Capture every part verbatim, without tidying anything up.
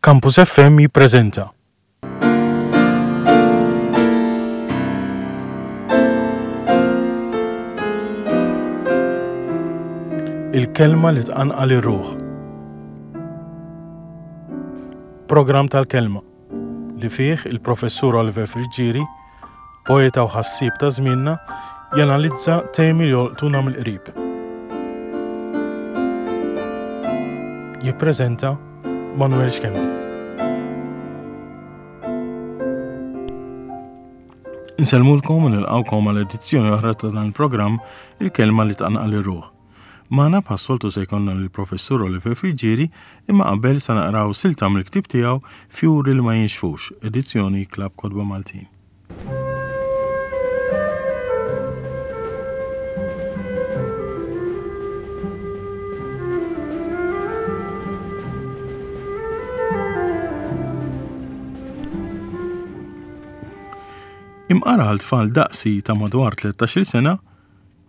Campus F M jippreżenta Il-kelma li tqanqal ir-ruħ. Programm tal-kelma li fih il-professur Oliver Friggieri, poeta u ħassieb ta' żmienna, janalizza temi li jolqtuna mill-qrib. Jippreżenta Manuel Schembri. Insellmulkom u nilqawkom għal edizzjoni oħra ta' dan il-programm, Il-kelma li tqanqal ir-ruħ. Magħna bħas-soltu se jkollna lill-professur Oliver Friggieri, imma qabel sa naqraw silta mill-ktieb tiegħu Fjuri li ma jinxfux, edizzjoni Klabb Kotba Maltin. Imqar għal tfal daqsi ta' madwar tlettax-il sena,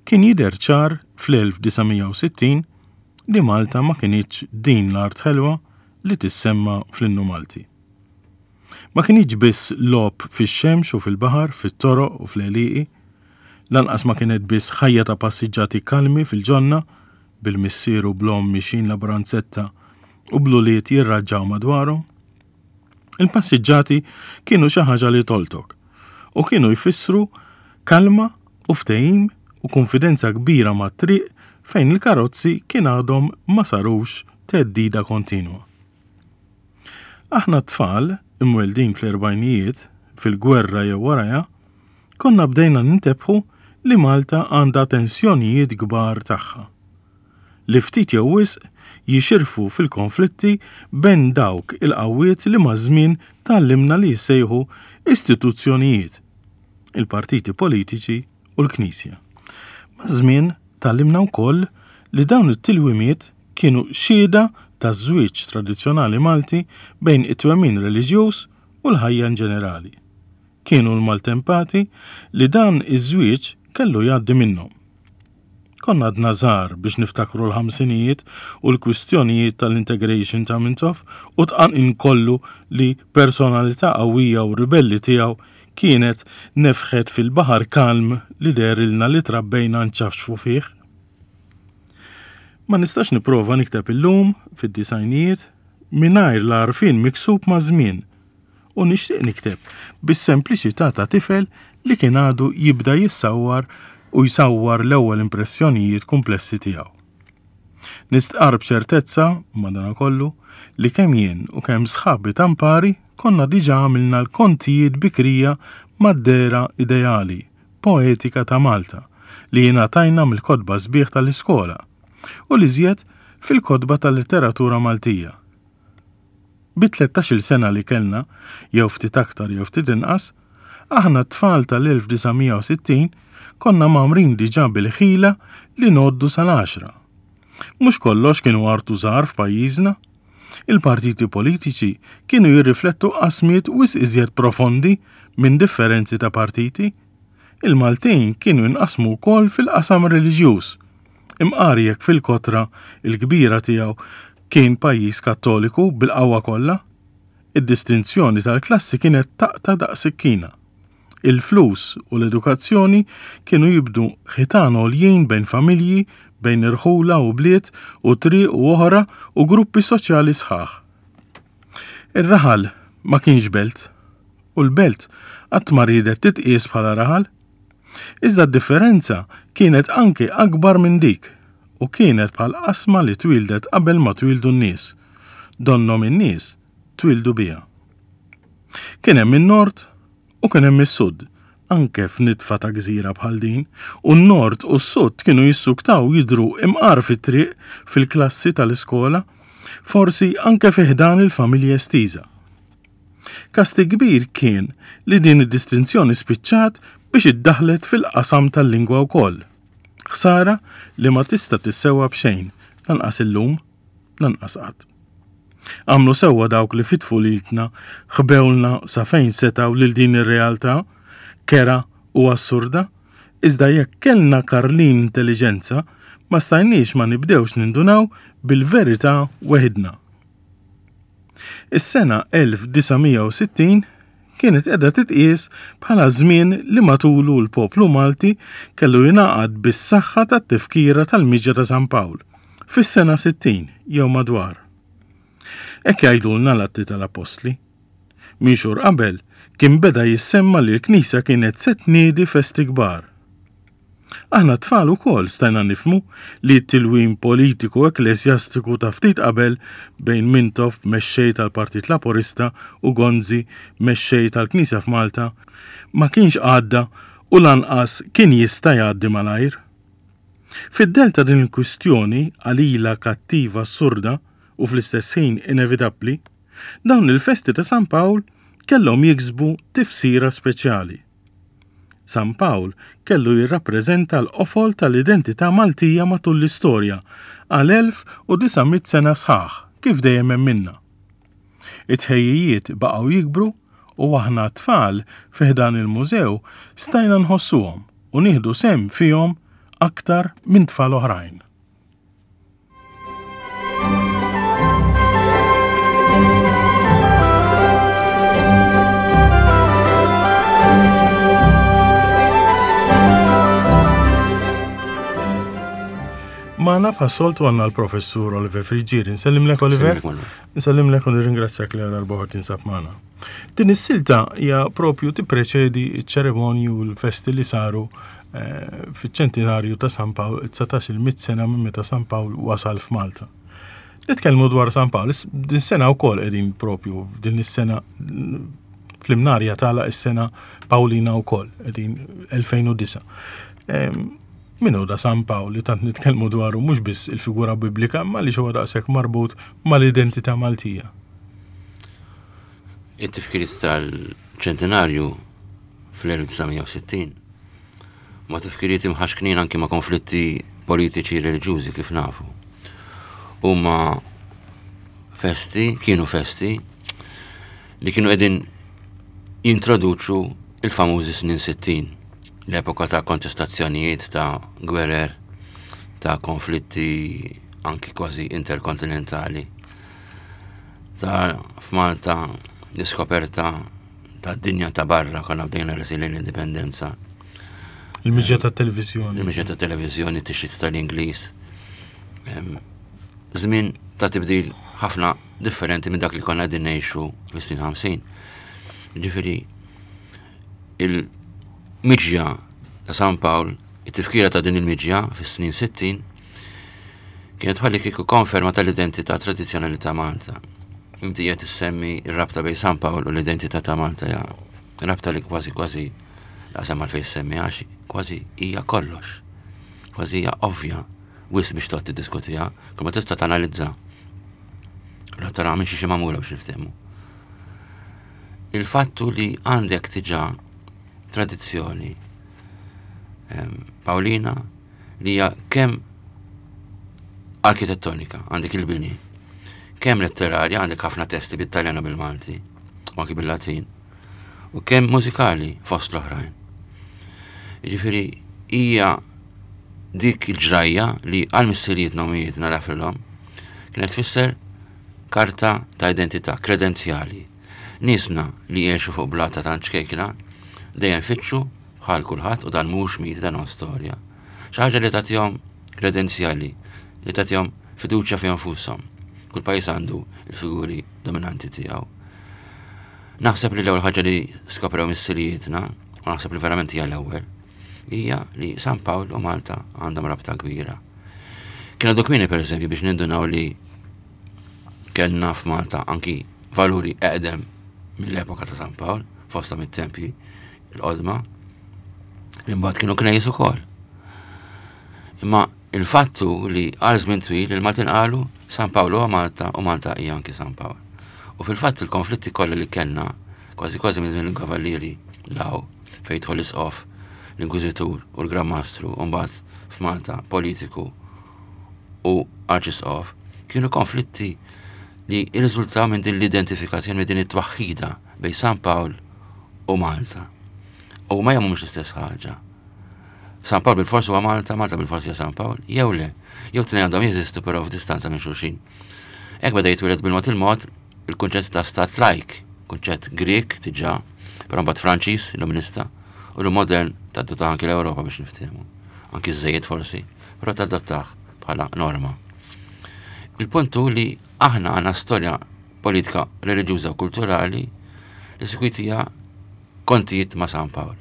kien jidher ċar fl-elf disa' mija u sittin li Malta ma kinitx din l-art ħelwa li tissemma fl-innu Malti. Ma kinitx biss logħob fix-xemx u fil-baħar, fit-toroq u fl-għelieqi, lanqas ma kienet biss ħajja ta' passiġġati kalmi fil-ġonna, bil-missier u bl-omm mixin la branzetta u bl-ulied jirraġġaw madwarhom. Il-passiġġati kienu xi ħaġa li tolqtok u kienu jfissru kalma u ftehim u konfidenza kbira mat-triq fejn il-karozzi kien għadhom ma sarux theddida kontinwa. Aħna tfal, imweldin fl-erbgħinijiet, fil-gwerra jew warajha, konna bdejna nintebħu li Malta għandha tensjonijiet kbar tagħha, li ftit jew wisq jixirfu fil-konflitti bejn dawk il-qawwiet li maż-żmien tgħallimna li jissejħu istituzzjonijiet, il-partiti politiċi u l-Knisja. Maż-żmien tgħallimna wkoll li dawn it-tilwimiet kienu xhieda ta' żwieġ tradizzjonali Malti bejn it-twemmin reliġjuż u l-ħajja in ġenerali. Kienu l-maltempati li dan iż-żwieġ kellu jgħaddi minnhom. Konna għadna żgħar biex niftakru l-ħamsinijiet u l-kwistjonijiet tal-integration ta' Mintoff u tqanqin kollu li personalità qawwija u ribelli tiegħu kienet nefħet fil-baħar kalm li dehrilna li trabbejna nċafċfu fih. Ma nistax nipprova nikteb illum fid-disgħinijiet mingħajr l-għarfien miksub maż-żmien u nixtieq nikteb bis-sempliċità ta' tifel li kien għadu jibda jissawwar u jsawwar l-ewwel impressjonijiet komplessi tiegħu. Nistqar b'ċertezza, madanakollu, li kemm jien u kemm sħabi tampari konna diġà għamilna l-kontijiet bikrija mad-dehra ideali, poetika ta' Malta, li jingħatajna mill-kotba sbieħ tal-iskola u li żjed fil-kotba tal-letteratura Maltija. Bi tlettax-il sena li kellna, jew ftit aktar jew ftit inqas, aħna t-tfal tal-elf disa' mija u sittin konna mgħammrin diġà bil-ħila li ngħoddu sal-għaxra. Mhux kollox kienu art u żahar f'pajjiżna. Il-partiti politiċi kienu jirriflettu qasmiet wisq iżjed profondi minn differenzi ta' partiti. Il-Maltin kienu jinqasmu wkoll fil-qasam reliġjuż. Imqar jekk fil-kotra il-kbira tiegħu kien pajjiż Kattoliku bil-qawwa kollha, id-distinzjoni tal-klassi kienet taqta' daqs sikkina. Il-flus u l-edukazzjoni kienu jibnu ħitan għoljin bejn familji, bejn irħula u bliet u triq u oħra u gruppi soċjali sħaħ. Ir-raħal ma kienx belt u l-belt qatt ma riedet titqies bħala raħal. Iżda d-differenza kienet anke akbar minn dik u kienet bħal qasma li twildet qabel ma twildu n-nies. Donnhom in-nies twildu biha. Kien hemm in-nord u kien hemm is-sud, anke f'nitfa ta' gżira bħal din, u n-nord u s-sud kienu jissuktaw jidru imqar fit-triq, fil-klassi tal-iskola, forsi anke fi ħdan il-familja estiża. Kastig kbir kien li din id-distinzjoni spiċċat biex iddaħlet fil-qasam tal-lingwa wkoll. Ħsara li ma tista' tissewwa b'xejn, lanqas illum, lanqas qatt. Għamlu sewwa dawk li fit-tfulitna ħbewlna sa fejn setgħu lil din ir-realtà, kerha u assurda, iżda jekk kellna karlin intelligenza, ma stajniex ma nibdewx nindunaw bil-verità weħidna. Is-sena elf disa' mija u sittin kienet qiegħda titqies bħala żmien li matulu l-poplu Malti kellu jingħaqad bis-saħħa tat-tifkira tal-miġja ta' San Pawl fis-sena sittin jew madwar. Hekk jgħidulna l-Atti tal-Appostli. Minn xhur qabel kien beda jissemma li l-Knisja kienet se tniedi festi kbar. Aħna tfal ukoll stajna nifhmu li t-tilwim politiku ekklesjastiku ta' ftit qabel bejn Mintoff, mexxej tal-Partit Laburista, u Gonzi, mexxej tal-Knisja f'Malta, ma kienx għadda u lanqas kien jista' jgħaddi malajr. Fid-del ta' din il-kwistjoni qalila kattiva assurda u fl-istess ħin inevitabbli, dawn il-festi ta' San Pawl kellhom jiksbu tifsira speċjali. San Pawl kellu jirrappreżenta l-qofol tal-identità Maltija matul l-istorja għal elf u disa' mitt sena sħaħ kif dejjem hemm minna. It-tħejjijiet baqgħu jikbru u aħna tfal fi ħdan il-mużew stajna nħossuhom u nieħdu sehem fihom aktar minn tfal oħrajn. Magħna bħas-soltu għandna l-professur Oliver Friggieri. Nsellimlek, Oliver. Nsellimlek, Manuel. Nsellimlek u nirringrazzjak li għal darba tinsab magħna. Din is-silta hija propju tippreċedi ċ-ċerimonji u l-festi li saru, eh, fiċ-ċentinarju ta' San Pawl, dsatax-il mitt sena minn meta San Pawl wasal f'Malta. Nitkellmu dwar San Pawl, is-, din sena wkoll qegħdin propju f'din is-sena fl-imnarja tagħlaq is-sena Pawlina wkoll, qegħdin elfejn u disa'. Em, Min hu da San Pawl li tant nitkellmu dwaru mhux biss il-figura biblika, imma li huwa daqshekk marbut mal-identità Maltija? It-tifkiriet tal-ċentinarju fl-elf disa' mija u sittin ma tifkiriet imħaxknin anki ma' konflitti politiċi reliġjużi kif nafu. Huma festi, kienu festi li kienu qegħdin jintroduċu il-famużi snin sittin, l-epoka ta' kontestazzjonijiet, ta' gwerer, ta' konflitti anki kważi interkontinentali, ta' f'Malta l-iskoperta ta' dinja ta' barra, konna bdejna resi lejn l-indipendenza. Il-miġja ta' televizjoni. Il-miġja ta' televizjoni, tixrid tal-Ingliż. Em, żmien ta' tibdil ħafna differenti minn dak li konna qegħdin ngħixu fis-snin ħamsin. Ġifieri, il-miġja ta' San Pawl, it-tifkira ta' din il-miġja fis-snin sittin, kienet ħalli kieku konferma tal-identità tradizzjonali ta' Malta. Inti qed issemmi r-rabta bejn San Pawl u l-identità ta' Malta, ja, rabta li kważi kważi laqsam għalfejn semmi għax kważi hija kollox, kważi hija ovvja, wisq biex toqgħod tiddiskutiha, kull ma tista' tanalizza. La tara minn xi xi magħmula biex niftehmu. Il-fattu li għandek diġà tradizzjoni, ehm, Pawlina li hija kemm arkitettonika, għandek il-bini, kemm letterarja, għandek ħafna testi bit-Taljan u bil-Malti, u anki bil-Latin, u kemm mużikali fost l-oħrajn. Jiġifieri hija dik il-ġrajja li għal missirijietna u ommijietna nafilhom kienet tfisser karta ta' identità, kredenzjali. Niesna li jgħixu fuq blata tant ċkejkna dejjem fittxu bħal kulħadd, u dan mhux mit, dan huwa storja. Xi ħaġa li tagħtihom kredenzjali, li tagħtihom fiduċja fihom nfushom. Kull pajjiż għandu l-figuri dominanti tiegħu. Naħseb li l-ewwel ħaġa li skoprew missirijietna, u naħseb li verament hija l-ewwel, hija li San Pawl u Malta għandhom rabta kbira. Kien għadu kmieni pereżempju biex nindunaw li kellna f'Malta anki valuri eqdem mill-epoka ta' San Pawl, fosta mit-tempji l-qodma, imbagħad kienu knejjes ukoll. Imma il-fattu li għal żmien twil il-Maltin qalu San Pawl huwa Malta u Malta hija anki San Pawl. U fil-fatt il-konflitti kollha li kellna, kważi kważi minn żmien il-Kavallieri law fejn jidħol l-Isqof, l-Inkwiżitur u l-Gran Mastru, u mbagħad f'Malta politiku u Arċisqof, kienu konflitti li rriżultaw minn din l-identifikazzjoni, minn din it-twaħħida bejn San Pawl u Malta. U ma jagħmlu mhux l-istess ħaġa. San Pawl bil-fors huwa Malta, Malta bil-fors hija San Pawl, jew le, jew tnejn għandhom jeżistu però f'distanza minn xulxin. Hekk beda jitwieled bil-mod il-mod il-kunċett ta' stat lajk, kunċett Grek diġà, però mbagħad Franċiż, illuminista, u l-modern tadottah anki l-Ewropa biex niftehmu. Anki żejjed forsi, però tadottah bħala norma. Il-punt hu li aħna għandna storja politika, reliġjuża u kulturali li sikwit hija kontijiet ma' San Pawl.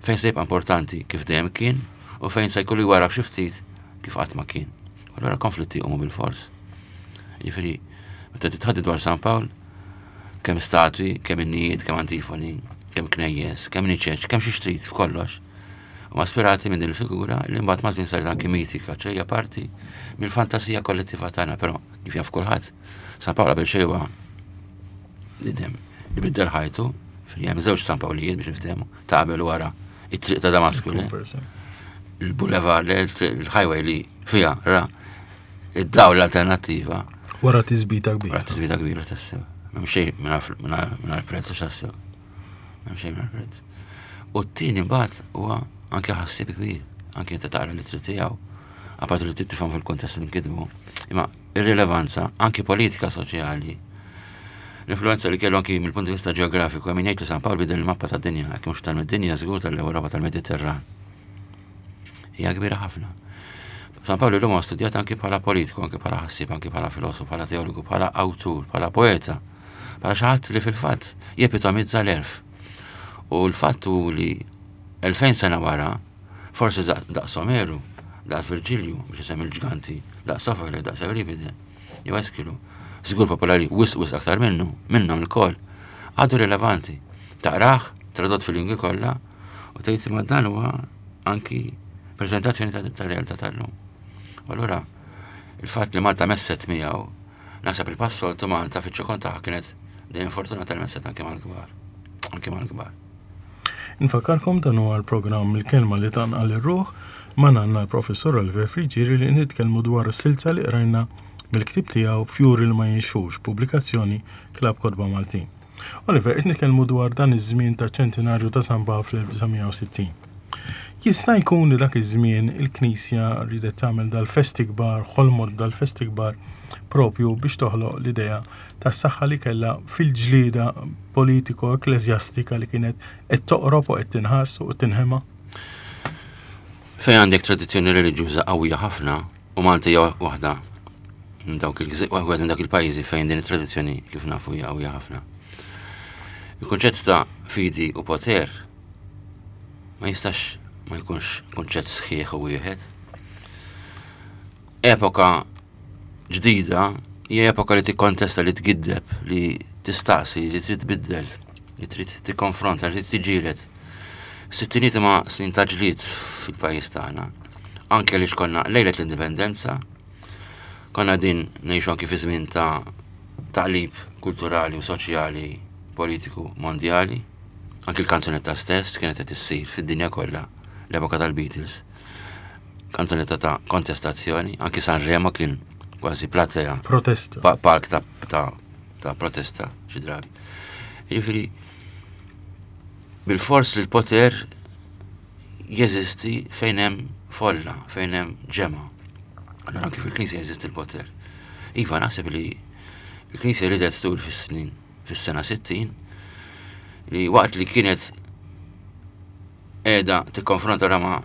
Fejn se jibqa' importanti kif dejjem kien u fejn se jkollu jwarrab xi ftit kif qatt ma kien. Allura konflitti jqumu bil-fors. Jiġifieri, meta titħaddi dwar San Pawl, kemm statwi, kemm innijiet, kemm antifoni, kemm knejjes, kemm niċeċ, kemm xi trid f'kollox. Huma ispirati minn din il-figura li mbagħad maż-żmien saret anki mitika, ċe hija parti mill-fantasija kollettiva tagħna, però kif jaf kulħadd, San Pawl qabel xejn huwa bniedem li biddel ħajtu, hemm żewġ San Pawlijiet biex niftehmu, ta' qabel wara it-triq ta' Damasku. Il-boulevard, il-highway li fija ra id-dawl l-alternattiva. Wara tisbita kbira. Wara tisbita kbira tassew. M'hemm xejn mingħajr prezz tassew. M'hemm xejn mingħajr prezz. U t-tieni mbagħad huwa anke ħassieb kbir, anke inti taqra l-ittri tiegħu, apart li tifhem fil-kuntest li nkitbu, imma ir-rilevanza anke politika soċjali. L-influenza li kellu anki mill-punt di vista ġeografiku, hemm jgħid li San Pawl bidel il-mappa tad-dinja, jekk mhux tal-dinja żgur tal-Ewropa tal-Mediterran. Hija kbira ħafna. San Pawl illum huwa studjat anki bħala politiku, anki bħala ħassieb, anki bħala filosofu, bħala teologu, bħala awtur, bħala poeta, bħala xi ħadd li fil-fatt jepitomizza l-għerf. U l-fatt hu li elfejn sena wara, forsi daqs Omeru, daqs Virgilju, biex isemmi l-ġganti, daqs Sofokle, daqs Euripide, jew Eskilu, żgur popolari wisq wisq aktar minnu, minnhom il-koll, għadu rilevanti. Taqrah, tradott fil-lingwi kollha, u tgħid ma dan huwa anki prezentazzjoni ta' realtà tal-lum. U allura il-fatt li Malta messet miegħu, naħseb il-passoltu Malta fiċ-ċokon tagħha kienet dejjem fortunata li messet anke mal-kbar. Anke mal-kbar. Nfakkarkom dan huwa l-programm Il-Kelma li Tqanqal ir-Ruħ ma għandna l-professor Oliver Friggieri li nitkellmu dwar is-silta li qrajna mill-ktib tiegħu Fjuri li ma jinxfux, pubblikazzjoni Klabb Kotba Maltin. Oliver, qed nitkellmu dwar dan iż-żmien ta' ċentinarju ta' San Pawl fl-elf disa' mija u sittin. Jista' jkun li dak iż-żmien il-Knisja ridet tagħmel dal-festi kbar, ħolmot dal-festi kbar propju biex toħloq l-idea tas-saħħa li kellha fil-ġlieda politiko-ekklesjastika li kienet qed toqrob u qed tinħass u qed tinħema? Fejn għandek tradizzjoni reliġjuża qawwija ħafna, u Malta hija waħda minn dawk il-gżi-, waħda minn dawk il-pajjiżi fejn din it-tradizzjoni kif nafu hija qawwija ħafna. Il-kunċett ta' fidi u poter ma jistax ma jkunx kunċett sħiħ u wieħed. Epoka ġdida hija epoka li tikkontesta, li tgiddeb, li tistaqsi, li trid tbiddel, li trid tikkonfronta, li trid tiġġieled. Sittiniet ma snin ta' ġlied fil-pajjiż tagħna. Anke li xkonna lejlet l-indipendenza, konna din ngħixu anke fi żmien ta' taqlib kulturali u soċjali, politiku mondjali. Anke l-kanzunetta stess kienet qed issir fid-dinja kollha, l-epoka tal-Beatles. Kanzunetta ta' kontestazzjoni, anke Sanremo kien kważi platea. Protesta. Pa-, park ta', ta', ta' protesta xi drabi. Jiġifieri bil-fors li l-poter jeżisti fejn hemm folla, fejn hemm ġemgħa. Allura anke fil-Knisja jeżisti l-poter. Iva, naħseb li l-Knisja ridet tul fis-snin, fis-sena sittin, li waqt li kienet qiegħda tikkonfronta ma'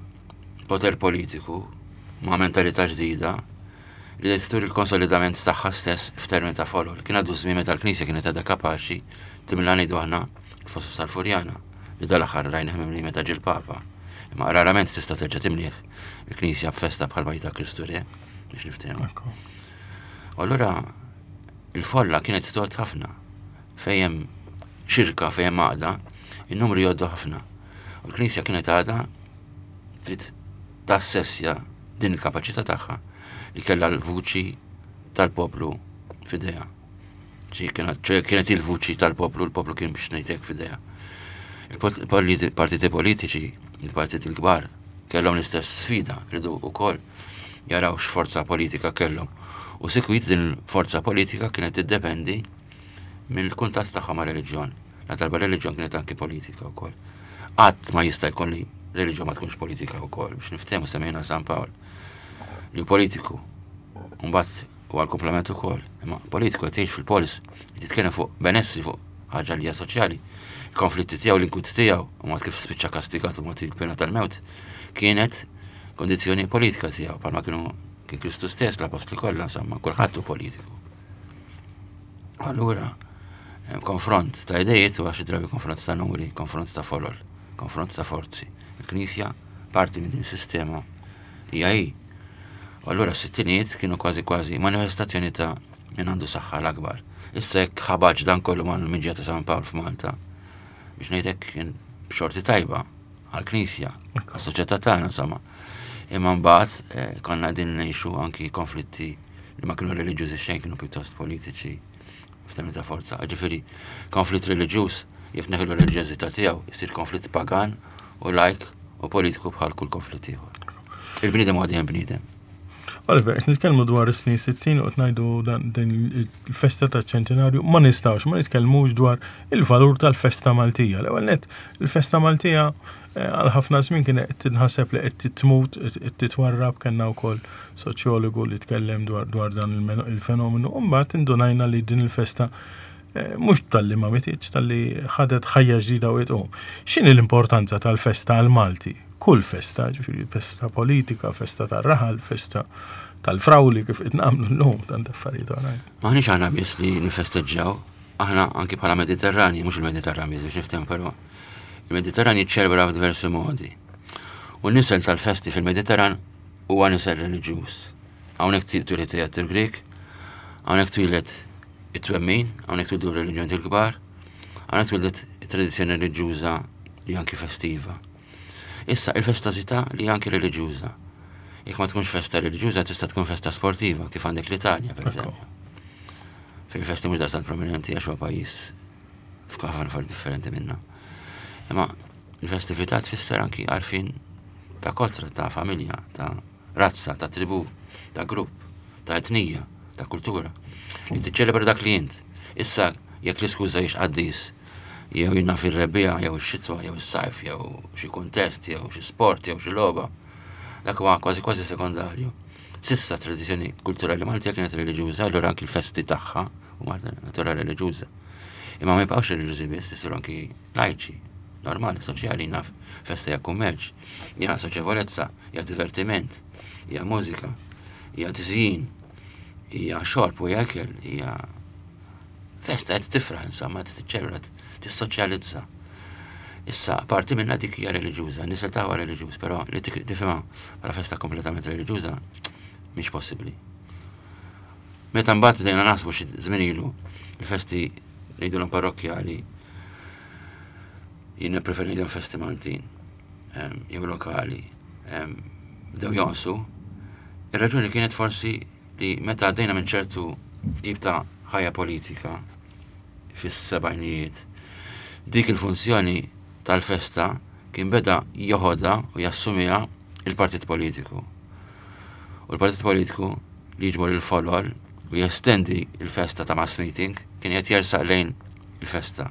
poter politiku, ma' mentalità ġdida, li qed tur il-konsolidament tagħha stess f'termini ta' folol. Kien għadu żmien meta l-Knisja kienet għadha kapaċi timla ngħidu aħna l-Fosos tal-Furjana, li dal-aħħar rajna mimli meta ġie l-Papa. Imma rarament tista' terġa' timlieh il-Knisja b'festa bħal ta' Kristu Re, biex niftehmu. Ekku. U allura il-folla kienet tgħod ħafna. Fejn hemm xirka, fejn hemm għaqda, in-numri jgħoddu ħafna. U l-Knisja kienet għadha trid tassessja din il-kapaċità tagħha li kellha l-vuċi tal-poplu f'idejha. Ġi kienet, ċe kienet il-vuċi tal-poplu, l-poplu kien biex ngħidlek f'idejha. Il-partiti politiċi, il-partiti l-kbar, kellhom l-istess sfida, ridu wkoll jaraw x'forza politika kellhom. U sikwit din il-forza politika kienet tiddependi mill-kuntatt tagħha ma' reliġjon. La darba reliġjon kienet anki politika wkoll. Qatt ma jista' jkun li reliġjon ma tkunx politika wkoll, biex niftehmu semmejna San Pawl li politiku. Mbagħad u għal-komplement ukoll. Imma politiku qed jgħix fil-polis, jitkellem fuq benessri, fuq ħaġa li hija soċjali. Il-konflitti tiegħu, l-inkwit tiegħu, u mod kif spiċċa kastigat u mod il-pena tal-mewt, kienet kondizzjoni politika tiegħu, bħalma kienu kien Kristu stess, l-apostli kollha, insomma, kulħadd hu politiku. Allura, konfront ta' idejiet u għaxi drabi konfront ta' numri, konfront ta' folol, konfront ta' forzi. Il-Knisja parti minn din sistema hija hi. U allura s-sittinijiet kienu kważi kważi manifestazzjoni ta' min għandu saħħa l-akbar. Issa jekk ħabaġ dan kollu mal-miġja ta' San Pawl f'Malta, biex ngħidlek kien b'xorti tajba għall-Knisja, għas-soċjetà tagħna insomma. Imma mbagħad eh, konna qegħdin ngħixu anki konflitti li ma kienu reliġjużi xejn, kienu pjuttost politiċi f'termini ta' forza. Ġifieri, konflitt reliġjuż, jekk neħlu reliġjożità tiegħu, jsir konflitt pagan u lajk u politiku bħal kull konflitt ieħor. Il-bniedem huwa dejjem bniedem. Oliver, qed nitkellmu dwar is-snin sittin u qed ngħidu din il-festa taċ-ċentinarju, ma nistgħux ma nitkellmux dwar il-valur tal-festa Maltija. L-ewwel nett, il-festa Maltija eh, għal ħafna żmien kien qed tinħaseb li qed tmut, qed titwarrab, kellna wkoll soċjologu li tkellem dwar dwar dan il-fenomenu, u mbagħad indunajna li din il-festa eh, mhux talli ma mititx, talli ħadet ħajja ġdida u qed X'inhi l-importanza tal-festa għal Malti? Kull festa, ġifieri festa politika, festa tar-raħal, festa tal-frawli kif qed nagħmlu llum tant affarijiet oħrajn. Maħniex aħna biss li nifesteġġjaw, aħna anki bħala Mediterrani, mhux il-Mediterran biss biex niftehmu, però il-Mediterran jiċċelebra f'diversi modi. U n-nisel tal-festi fil-Mediterran huwa nisel reliġjuż. Hawnhekk twieled teatru Grek, hawnhekk twieled it-twemmin, hawnhekk twildu r-reliġjoni il-kbar, hawnhekk twildet it-tradizzjoni reliġjuża li anki festiva. Issa, il-festazità li anki reliġjuża. Jekk ma tkunx festa reliġjuża, tista' tkun festa sportiva, kif għandek l-Italja, per eżempju. Fil-festi mhux daqstant prominenti għax huwa pajjiż f'ħafna affarijiet differenti minna. Imma l-festività tfisser anki għarfien ta' kotra, ta' familja, ta' razza, ta' tribu, ta' grupp, ta' etnija, ta' kultura. Li tiċċelebra dak li int. Issa, jekk l-iskuża jiex qaddis, jew jina fil-rebbiegħa, jew ix-xitwa, jew is-sajf, jew xi kuntest, jew xi sport, jew xi logħba. Dak huwa kważi kważi sekondarju. Sissa tradizzjoni kulturali Maltija kienet reliġjuża, allura anki l-festi tagħha huma natura reliġjuża. Imma ma jibqgħux reliġjużi biss, isiru anki lajċi, normali, soċjali, naf, festa hija kummerċ, hija soċjevolezza, hija divertiment, hija mużika, hija tiżjin, hija xorb u hija ikel, hija festa qed tifraħ, insomma, qed tiċċelebra, tissoċjalizza. Issa, parti minna dik hija reliġjuża, nisel tagħha reliġjuż, però li tifhimha bħala festa kompletament reliġjuża mhix possibbli. Meta mbagħad bdejna naħsbu xi żmien ilu il-festi ngħidulhom parrokkjali, jien nippreferi ngħidulhom festi Maltin, jew lokali, bdew jonqsu. Ir-raġuni kienet forsi li meta għaddejna minn ċertu tip ta' ħajja politika fis-sebgħinijiet, dik il-funzjoni tal-festa kien beda joħodha u jassumiha il-partit politiku. U l-partit politiku li jiġbor il-folol u jestendi il-festa ta' mass meeting kien qed jersaq lejn il-festa.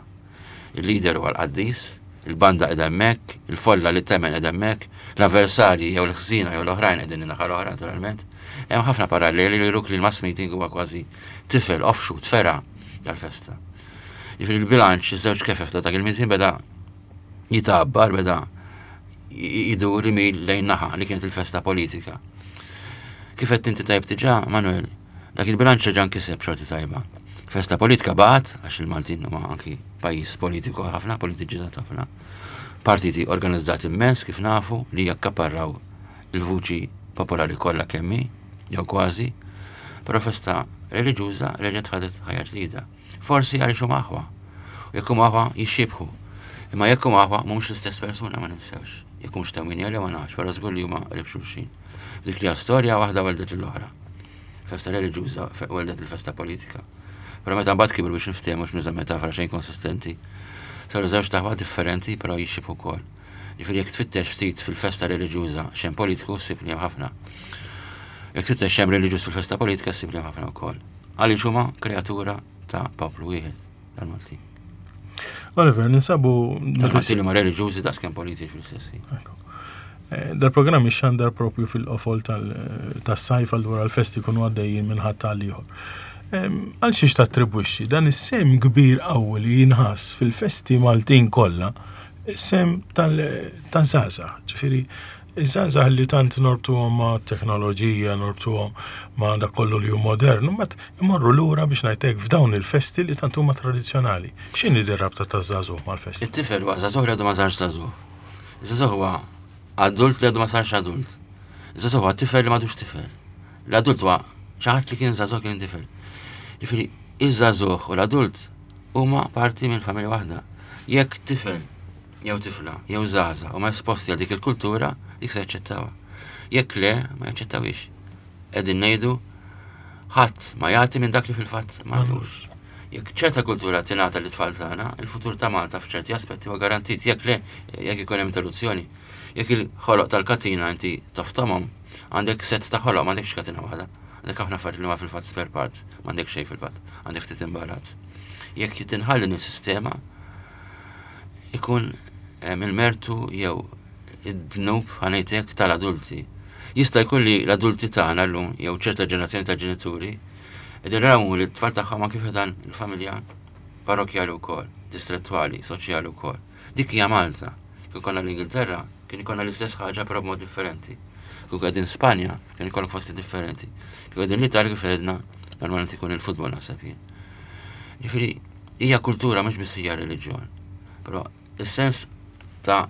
Il-leader huwa l-qaddis, il-banda qiegħda hemmhekk, il-folla li temmen qiegħda hemmhekk, l-avversarji jew l-ħżina jew l-oħrajn qegħdin in-naħa l-oħra naturalment. Hemm ħafna paralleli li juruk li l-mass meeting huwa kważi tifel, offshoot, fergħa tal-festa. Jiġifieri il-bilanċ, iż-żewġ kefef ta' dak il-miżin beda jitabbar, beda jidur imil lejn naħa li kienet il-festa politika. Kif qed inti tajb diġà, Manuel, dak il-bilanċ ġa nkiseb xorti tajba. Festa politika baqgħet, għax il-Maltin huma anki pajjiż politiku ħafna, politiċizzat ħafna. Partiti organizzati immens kif nafu li jakkaparraw il-vuċi popolari kollha kemmi, jew kważi, però festa reliġjuża reġgħet ħadet ħajja ġdida. Forsi għaliex huma aħwa. U jekk huma aħwa jixxibħu. Imma jekk huma aħwa mhumiex l-istess persuna, ma ninsewx. Jekk mhux tewmin jew ma nafx, però żgur li huma qrib xulxin. Dik li storja waħda weldet l-oħra. Festa reliġjuża weldet il-festa politika. Però meta mbagħad kibru biex niftehmu mhux nuża metafora xejn konsistenti. Saru żewġ taħwa differenti però jixxibħu wkoll. Jiġifieri jekk tfittex ftit fil-festa reliġjuża xejn politiku ssib li hemm ħafna. Jekk tfittex xejn reliġjuż fil-festa politika ssib li hemm ħafna wkoll. Għaliex huma kreatura ta' poplu wieħed tal-Maltin. Oliver, ninsabu Tal-Maltin li ma reliġjużi daqskemm politiċi fl-istess ħin. Eh, Dal-programm ixxandar propju fil-qofol tas-sajf, allura l-festi jkunu għaddejjin minn ħadd għal ieħor. Għal xiex tattribwixxi dan is-sehem kbir qawwi li jinħass fil-festi Maltin kollha, is-sehem tal-żgħażagħ, ġifieri iż-żgħażagħ li tant norbtuhom ma' teknoloġija, norbtuhom ma' dak kollu li hu modern, mbagħad imorru lura biex ngħidlek f'dawn il-festi li tant huma tradizzjonali. X'inhi din rabta taż-żagħżugħ mal-festi? It-tifel huwa żagħżugħ li għadu ma sarx żagħżugħ. Iż-żagħżugħ huwa adult li għadu ma sarx adult. Iż-żagħżugħ huwa tifel li m'għadux tifel. L-adult huwa xi ħadd li kien żagħżugħ kien tifel. Ġifieri, iż-żagħżugħ u l-adult huma parti minn familja waħda. Jekk tifel jew tifla jew żgħażagħ huma esposti għal dik il-kultura, dik se jaċċettawha. Jekk le, ma jaċċettawhiex. Qegħdin ngħidu ħadd ma jagħti minn dak li fil-fatt m'għandux. Jekk ċerta kultura tingħata lit-tfal tagħna, il-futur ta' Malta f'ċerti aspetti huwa garantit. Jekk le, jekk ikun hemm interruzzjoni, jekk il-ħoloq tal-katina inti toftomhom, għandek set ta' ħoloq, m'għandekx katina waħda. Għandek ħafna affarijiet li huma fil-fatt spare parts, m'għandek xejn fil-fatt, għandek ftit imbarazz. Jekk tinħall din is-sistema, ikun il-mertu jew id-dnub ħa ngħidlek tal-adulti. Jista' jkun li l-adulti tagħna llum jew ċerta ġenerazzjoni ta' ġenituri qegħdin rawmu li t-tfal tagħhom anke dan il-familja parrokjali wkoll, distrettwali, soċjali wkoll. Dik hija Malta. Kien konna l-Ingilterra, kien ikollna l-istess ħaġa però b'mod differenti. Kien qegħdin Spanja, kien ikollok fosti differenti. Kien qegħdin l-Italja kif għedna, normalment ikun il-futbol naħseb jien. Ġifieri, hija kultura mhux biss hija reliġjon. Però is-sens ta'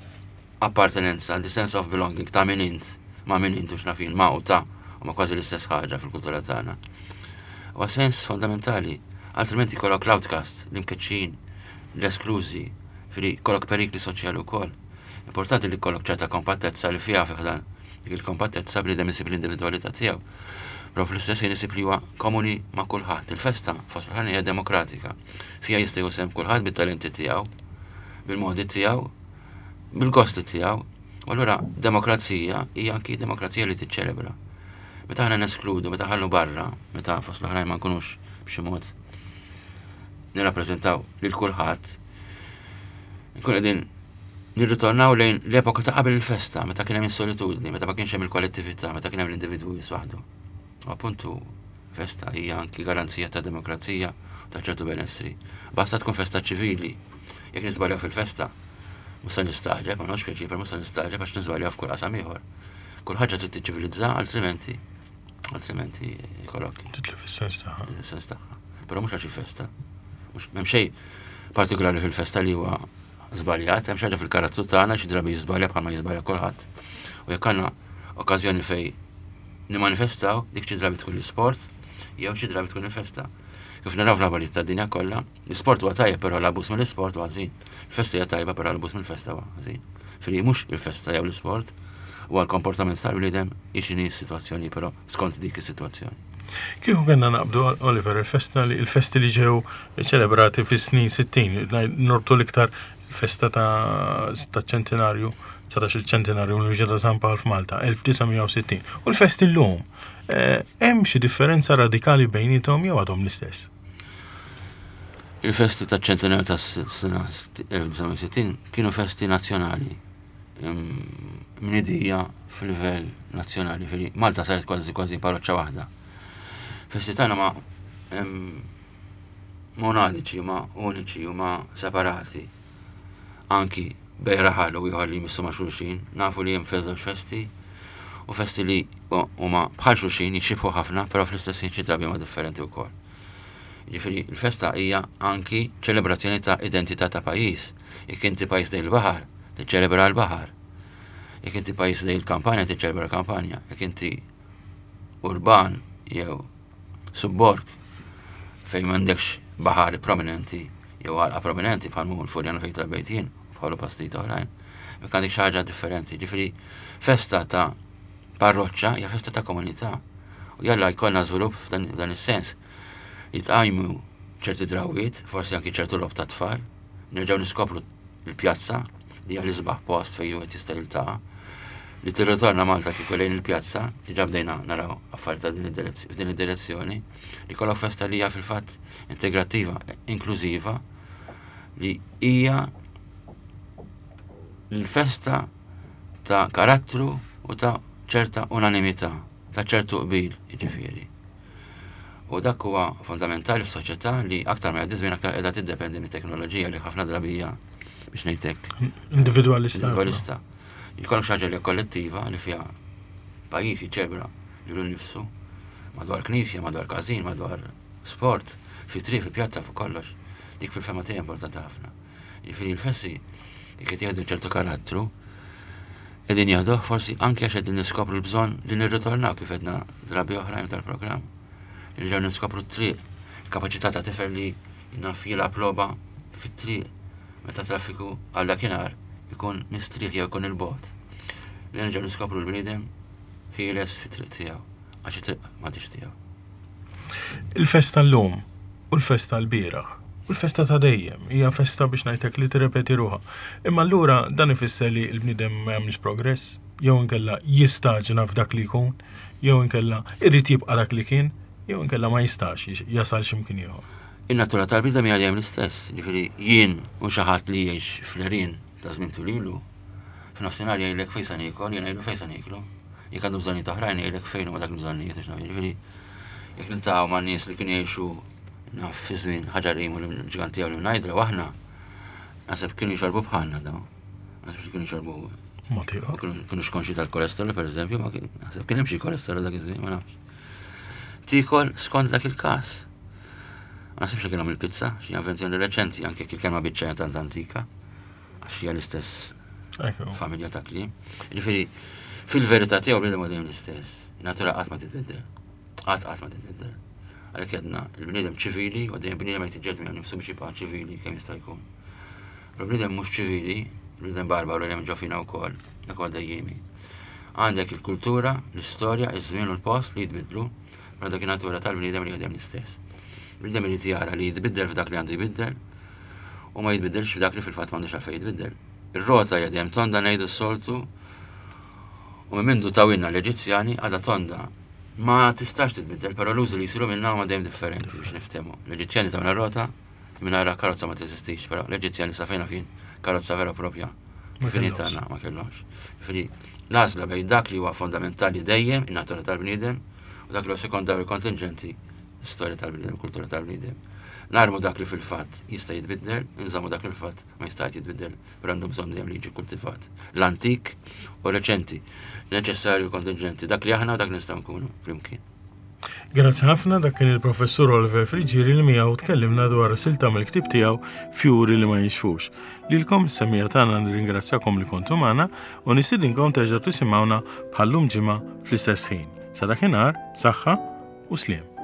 appartenenza, the sense of belonging, ta' min int, ma' min int u x'naf jien, ma' u ta' u ma' kważi l-istess ħaġa fil-kultura tagħna. Huwa sens fondamentali, altrimenti jkollok l-outcast, l-imkeċċin, l-esklużi, ġifieri jkollok perikli soċjali wkoll. Importanti li jkollok ċerta kompattezza li fiha fi ħdan dik il-kompattezza bniedem isib l-individwalità tiegħu. Però fl-istess ħin isib li huwa komuni ma' kulħadd. Il-festa fost l hija demokratika. Fiha jista' jieħu kulħadd bit-talenti tiegħu, bil-modi tiegħu, bil-gosti tiegħu. U allura demokrazija hija anki demokrazija li tiċċelebra. Meta aħna neskludu, meta ħallu barra, meta fost l-oħrajn ma nkunux b'xi mod nirrappreżentaw lil kulħadd, nkun qegħdin nirritornaw lejn l-epoka ta' qabel il-festa, meta kien hemm is-solitudni, meta ma kienx hemm il-kollettività, meta kien hemm l-individwu waħdu. U appuntu festa hija anki garanzija ta' demokrazija ta' ċertu benessri. Basta tkun festa ċivili. Jekk niżbaljaw fil-festa, mhux se nistagħġeb, ma nafx pjaċir, mhux se nistagħġeb għax niżbaljaw f'kull qasam ieħor. Kull ħaġa trid tiċċivilizza, altrimenti altrimenti jkollok. Titlef is-sens tagħha. Is-sens tagħha. Però mhux għax festa. Mhux m'hemm xejn partikolari fil-festa li huwa żbaljat, hemm xi ħaġa fil-karattru tagħna xi drabi jiżbalja bħalma jiżbalja kulħadd. U jekk għandna okkażjoni fej nimanifestaw, dik xi drabi tkun l-isport, jew xi drabi tkun il-festa. Kif naraw fl-aħbarijiet tad-dinja kollha, l-isport huwa tajjeb però l-abbuż mill-isport huwa ħażin. Il-festa hija tajba però l-abbuż mill-festa huwa ħażin. Fili mhux il-festa jew l-isport, huwa l-komportament tal-bniedem x'inhi s-sitwazzjoni però skont dik is-sitwazzjoni. Kieku kellna naqbdu, Oliver, il-festa li il-festi li ġew ċelebrati fis-snin sittin, norbtu l-iktar il-festa ta' ċentinarju, dsatax il-ċentinarju mill ta' San Pawl f'Malta, elf disa' mija u sittin. U l-festi l-lum, eh, hemm xi differenza radikali bejniethom jew għadhom l-istess? Il-festi ta' ċentinarju ta' sena elf disa' mija u sittin kienu festi nazzjonali, mnedija fil-livell nazzjonali, fili Malta saret kważi kważi parroċċa waħda. Festi tagħna ma monadiċi, ma uniċi u ma separati. Anki bejn raħal u ieħor li jmissu ma' xulxin, nafu li hemm żewġ festi u festi li huma bħal xulxin jixxibħu ħafna, però fl-istess ħin xi drabi huma differenti wkoll. Ġifieri l-festa hija anki ċelebrazzjoni ta' identità ta' pajjiż. Jekk inti pajjiż lejn il-baħar, tiċċelebra l-baħar. Jekk inti pajjiż lejn il-kampanja, tiċċelebra l-kampanja. Jekk inti urban jew subborg fejn m'għandekx baħar prominenti jew għalqa prominenti bħal mu l-Furjana fejn trabbejt jien, bħalu postijiet oħrajn. Jekk għandek xi ħaġa differenti, ġifieri festa ta' parroċċa hija festa ta' komunità. U jalla jkollna żvilupp f'dan is-sens. Jitqajmu ċerti drawiet, forsi anki ċertu logħob ta' tfal, nerġgħu niskopru l-pjazza li hija l-isbaħ post fejn wieħed jista' jiltaqa', li tirritorna Malta kieku lejn il-pjazza, diġà bdejna naraw affarijiet ta' din id-direzzjoni, li kollok festa li hija fil-fatt integrattiva, inklużiva, li hija l-festa Ta' karattru u ta' ċerta unanimità, ta' ċertu qbil, jiġifieri. U dak huwa fondamentali f'soċjetà li aktar ma jgħaddi żmien aktar qiegħda tiddependi mit-teknoloġija li ħafna drabi hija, biex ngħidlek, Individualista. Individualista. Jkollok xi ħaġa li hija kollettiva, li fiha pajjiż jiċċelebra lilu nnifsu madwar knisja, madwar każin, madwar sport, fi triq, fi pjazza, fuq kollox. Dik fil-fehma tiegħi importanti ħafna. Jiġifieri l-festi jekk qed jieħdu ċertu karattru, qegħdin jieħduh forsi anke għax qegħdin niskopru l-bżonn li nirritornaw, kif għedna drabi oħrajn tal-programm. Li nerġgħu niskopru t-triq, il-kapaċità ta' tifel li naf jilgħab logħba fit-triq meta traffiku għal dakinhar ikun mistrieħ jew ikun il-bogħod. Li nerġgħu niskopru l-bniedem ħieles fit-triq tiegħu, għax it-triq m'għadix tiegħu. Il-festa l-lum u l-festa l-bieraħ u l-festa ta' dejjem hija festa, biex ngħidlek, li tirrepeti ruħha. Imma allura dan ifisser li l-bniedem ma jagħmilx progress, jew inkella jistaġna f'dak li jkun, jew inkella irid jibqa' dak li kien, jew inkella ma jistax jasal x'imkien ieħor. In-natura tal-bniedem hija dejjem l-istess, jiġifieri jien u xi ħadd li jgħix fl-għerien ta' żmien twil ilu, f'nofsinhar jgħidlek fejn se niekol, jien ngħidlu fejn se nieklu. Jekk għandu bżonnijiet oħrajn, jgħidlek fejn huma dak il-bżonnijiet, għax naf, jiġifieri jekk niltaqgħu ma' nies li kienu jgħixu, naf, fi żmien Ħaġar Qim u l-ġganti u l-Mnajdra u aħna, naħseb kienu jxorbu bħalna dawn. Naħseb li kienu jxorbu Mod ieħor. kienu kienu konxji tal-kolesterol, per eżempju, ma kien, naħseb kien hemm xi kolesterol dak iż-żmien, ma nafx. Tikol skont dak il-każ. Ma naħsibx li kienhom il-pizza, xi invenzjoni reċenti, anke jekk il-kelma biċċa hija tant antika, għax hija l-istess Ekku. familja ta' kliem. Jiġifieri, fil-verità tiegħu bniedem huwa dejjem l-istess. Natura qatt ma titbiddel. Qatt qatt ma titbiddel. Għalhekk għedna il-bniedem ċivili u dejjem bniedem qed jiġġieled miegħu nnifsu biex jibqa' ċivili kemm jista' jkun. Però bniedem mhux ċivili, bniedem barbaru li hemm ġo fina wkoll, dak huwa dejjemi. Għandek il-kultura, l-istorja, iż-żmien u l-post li jitbidlu, però dak in-natura tal-bniedem li dejjem l-istess. Bniedem irid jara li jitbiddel f'dak li għandu jbiddel u ma jitbiddelx f'dak li fil-fatt m'għandux għalfejn jitbiddel. Ir-rota hija dejjem tonda, ngħidu s-soltu, u minn mindu tawhielna l-Eġizzjani għadha tonda. Ma tistax titbiddel, però l-użu li jsiru minnha huma dejjem differenti, biex niftehmu. L-Eġizzjani tawna rota, mingħajr karozza ma teżistix, però l-Eġizzjani sa fejn fin karozza vera propja. Ma Fini kellhomx. tagħna ma kellhomx. Jiġifieri l-għażla bejn dak li huwa fondamentali dejjem, in-natura tal-bniedem, u dak li huwa sekondarju kontingenti, istorja tal-bniedem, kultura tal-bniedem. Narmu dak li fil-fatt jista' jitbiddel, nżammu dak li fil-fatt ma jista' jitbiddel, però għandu bżonn dejjem li jiġi kultivat. L-antik u reċenti, neċessarju kontingenti, dak li aħna u dak li nistgħu nkunu flimkien. Grazzi ħafna. Dak kien il-professur Oliver Friggieri li miegħu tkellimna dwar silta mill-ktieb tiegħu Fjuri li ma jinxfux. Lilkom is-semmiegħa tagħna nirringrazzjakom li kontu magħna u nistidinkom terġgħu tisimgħuna bħallum ġimgħa fl-istess ħin. Sa dakinhar, saħħa u sliem.